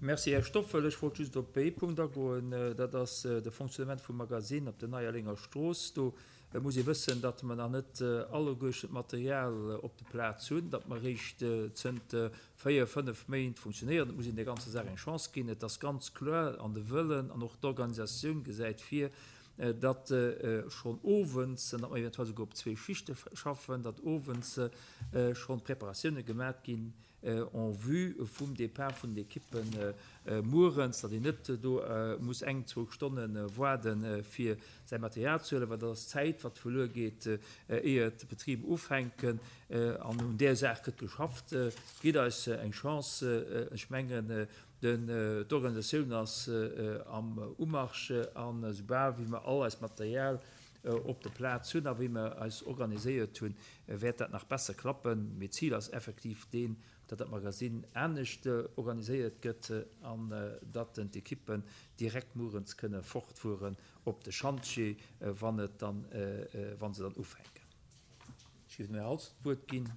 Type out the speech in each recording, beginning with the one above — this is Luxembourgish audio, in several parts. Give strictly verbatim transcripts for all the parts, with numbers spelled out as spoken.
Merci, Här Stoffel. Ech wollt just op ee Punkt agoen, dat ass de Fonctionnement vum Magasinn op der Neierlenger Strooss. Do muss ee wëssen, datt mer nach net alleguerten d'Material op der Plaz hunn, datt mer eréischt zënter véier, fënnef Méint funktionéieren. Et muss een der ganzer Saach eng Chance ginn. Et ass ganz kloer an de Wëllen an och d'Organisatioun gesäit vir, datt schonn owends, datt mer eventuell souguer op zwee Schichte schaffen, datt owends schonn d'Preparatioune gemat ginn en vue vum Départ vun den Ekippen muerens, datt een net do muss eng, zwou Stonne waarden, fir säi Material ze huelen, well dat ass Zäit, wat verluer geet, éier d'Betriber ufänken. An un där Saach gëtt geschafft. Gitt eis eng Chance. Ech mengen, d'Organisatioun ass am Umarsch, an esoubal wéi mer all eist Material op der Plaz hunn a wéi mer eis organiséiert hunn, wäert dat nach besser klappen. Mee d'Zil ass effektiv deen, datt dat Magasinn anescht organiséiert gëtt an datt d'Ekippen direkt muerens kënne fortfueren op de Schantjee, wann et dann, wa se dann ufänken. Ech géif dem Här Halsdorf d'Wuert ginn.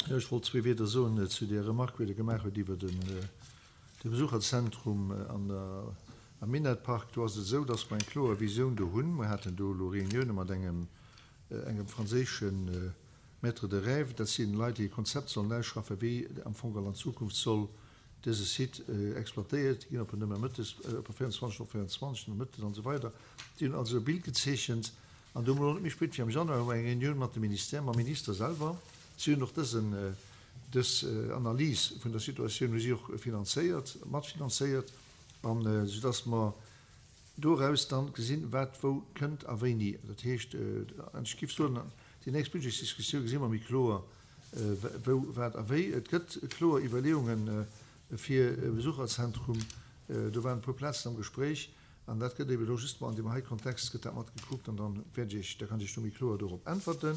Jo, ech wollt zwee Wierder soen zu där Remarque, déi Der gemaach hutt iwwer den, de Besucherzentrum an der, am Minett-Park. Do ass et esou, dass mer eng kloer Visioun do hunn. Mer haten do elo Reunioune mat engem, engem franséische Maître de rêve. Dat si Leit, déi e Konzept sollen ausschaffen, wéi am Fong an Zukunft soll dëse Site exploitéiert ginn, ob en nëmme mëttes, ob e véierundzwanzeg op véierundzwanzeg, nëmme mëttes an esou weider. Déi hunn also e Bild gezeechent. An do hu mer elo net méi spéit wéi am Januar hu mer eng Reunioun mat dem Ministère, mam Minister selwer. Si hunn och dësen, dës Analys vun der Situatioun hu si och finanzéiert, matfinanzéiert, an soudass mer doraus dann gesinn, wat wou kënnt a wéini. Dat heescht, ech géif soen, déi nächst Budgetsdiskussioun gesi mer méi kloer, wou, wat a wéi. Et gëtt kloer Iwwerleeunge fir e Besucherzentrum. Do waren e puer Plazen am Gespréich an dat gëtt eeben elo justement an deem hei Kontext gëtt dat mat gekuckt an dann wäert ech Iech, da kann ech Iech do méi kloer dorop äntwerten.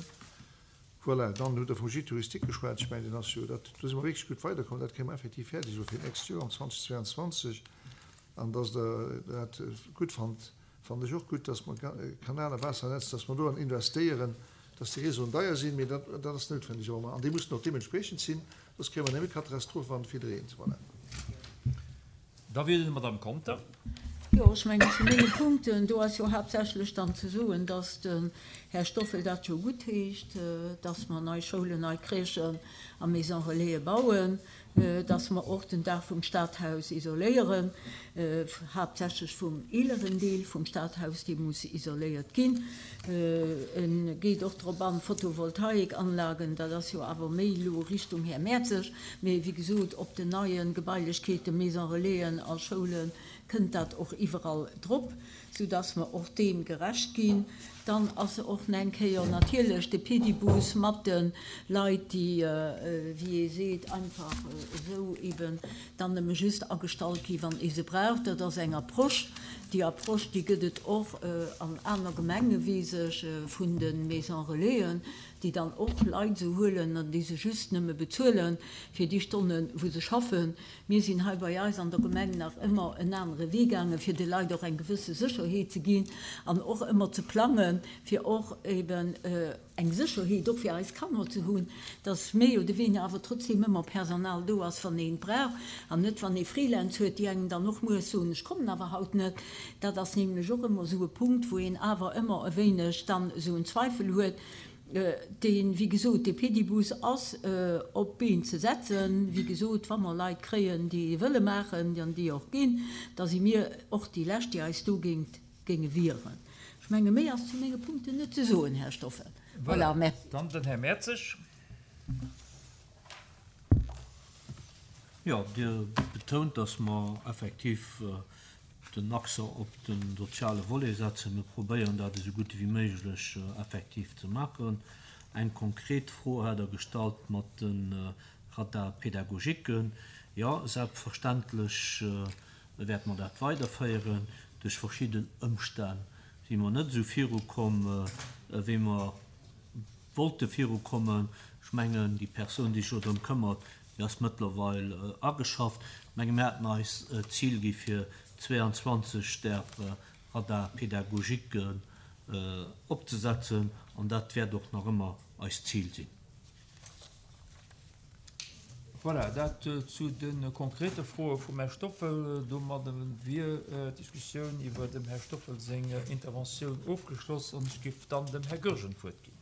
Voilà, dann hutt Der vum Gîte touristique geschwat. Ech mengen, deen ass jo, dat, do si mer wierklech gutt weiderkomm. Dat kréie mer effektiv fäerdeg elo fir d'nächst Joer, am zweitausendzweiundzwanzeg. An dass Der dat gutt fannt, fannen ech och gutt, dass mer Kanal a Waassernetz, dass mer doran investéieren, dass déi Réseauen deier sinn, mee dat, dat ass noutwendeg. Awer an déi mussen och deementspriechend sinn, soss kréie mer nëmme Katastrophe wann et vill reent. Voilà. Da wier et d'Madame Conter. Jo, ech mengen, zu menge Punkten, do ass jo haaptsächlech dann ze soen, dass den Här Stoffel dat jo guttheescht, dass mer nei Schoulen, nei Crèchen a Maisons relaisen bauen, dass mer och den Daach vum Stadhaus isoléieren, haaptsächlech vum eeleren Deel vum Stadhaus, dee muss isoléiert ginn. E geet och drop an, Photovoltaikanlagen, dat ass jo awer méi elo Richtung Här Mertzig, mee wéi gesot, op den neie Gebailechkeeten, Maisons relaisen a Schoulen, kënnt dat och iwwerall drop, soudass mer och deem gerecht ginn. Dann ass och nach eng Kéier natierlech de Pedibus mat de Leit, déi, wéi ee seet, einfach esou eben dann nëmme just agestallt gi wann ee se brauch. Dat ass eng Approche. Déi Approche, déi gëtt et och an aner Gemenge, weess ech, vun de Maisons relaisen, déi dann och Leit esou huelen an déi se just nëmme bezuelen fir déi Stonnen, wou se schaffen. Mir sinn hei bei eis an der Gemeng nach ëmmer en anere Wee gaangen, fir de Leit och eng gewësse Sécherheet ze ginn an och ëmmer ze plangen, fir och eben eng Sécherheet och fir eis Kanner ze hunn, dass méi oder weniger awer trotzdem ëmmer Personal do ass, wann een et brauch, an net wann ee Freelance huet, déi engem dann och mueres soen, ech kommen awer haut net. Dat ass nämlech och ëmmer esou e Punkt, wou een awer ëmmer e wéineg dann esou en Zweifel huet. Deen, wéi gesot, dee Pedibus ass op d'Been ze setzen. Wéi gesot, wa mer Leit kréien, déi e wëlle maachen an déi och ginn, da si mir och déi Lescht, déi eis dogéint géinge wieren. Ech menge méi ass zu menge Punkten net ze soen, Här Stoffel. Voilà, merci. Dann den Här Mertzig. Jo, Dir betount, dass mer effektiv den Accent op de soziale Volet setzen. Mir probéieren dat esou gutt ewéi méiglech effektiv ze maachen. Eng konkret Fro hat Der gestallt mat de Radar-pédagogiquen. Jo, selbstverständlech wäerte mer dat weiderféieren. Duerch verschidden Ëmstänn si mer net esou virukomm, wéi mer wollte virukommen. Ech mengen, déi Persoun, déi sech elo drëm këmmert, déi ass mëttlerweil ageschafft. Ech menge mir haten eis d'Zil gi fir zweiundzwanzeg där Radar-pédagogiquen opzesetzen an dat wäert och nach ëmmer eist Zil sinn. Voilà, dat zu de konkrete Froe vum Här Stoffel. Domadde wier d'Diskussioun iwwer dem Här Stoffel seng Interventioun ofgeschloss an ech géif dann dem Här Goergen d'Wuert ginn.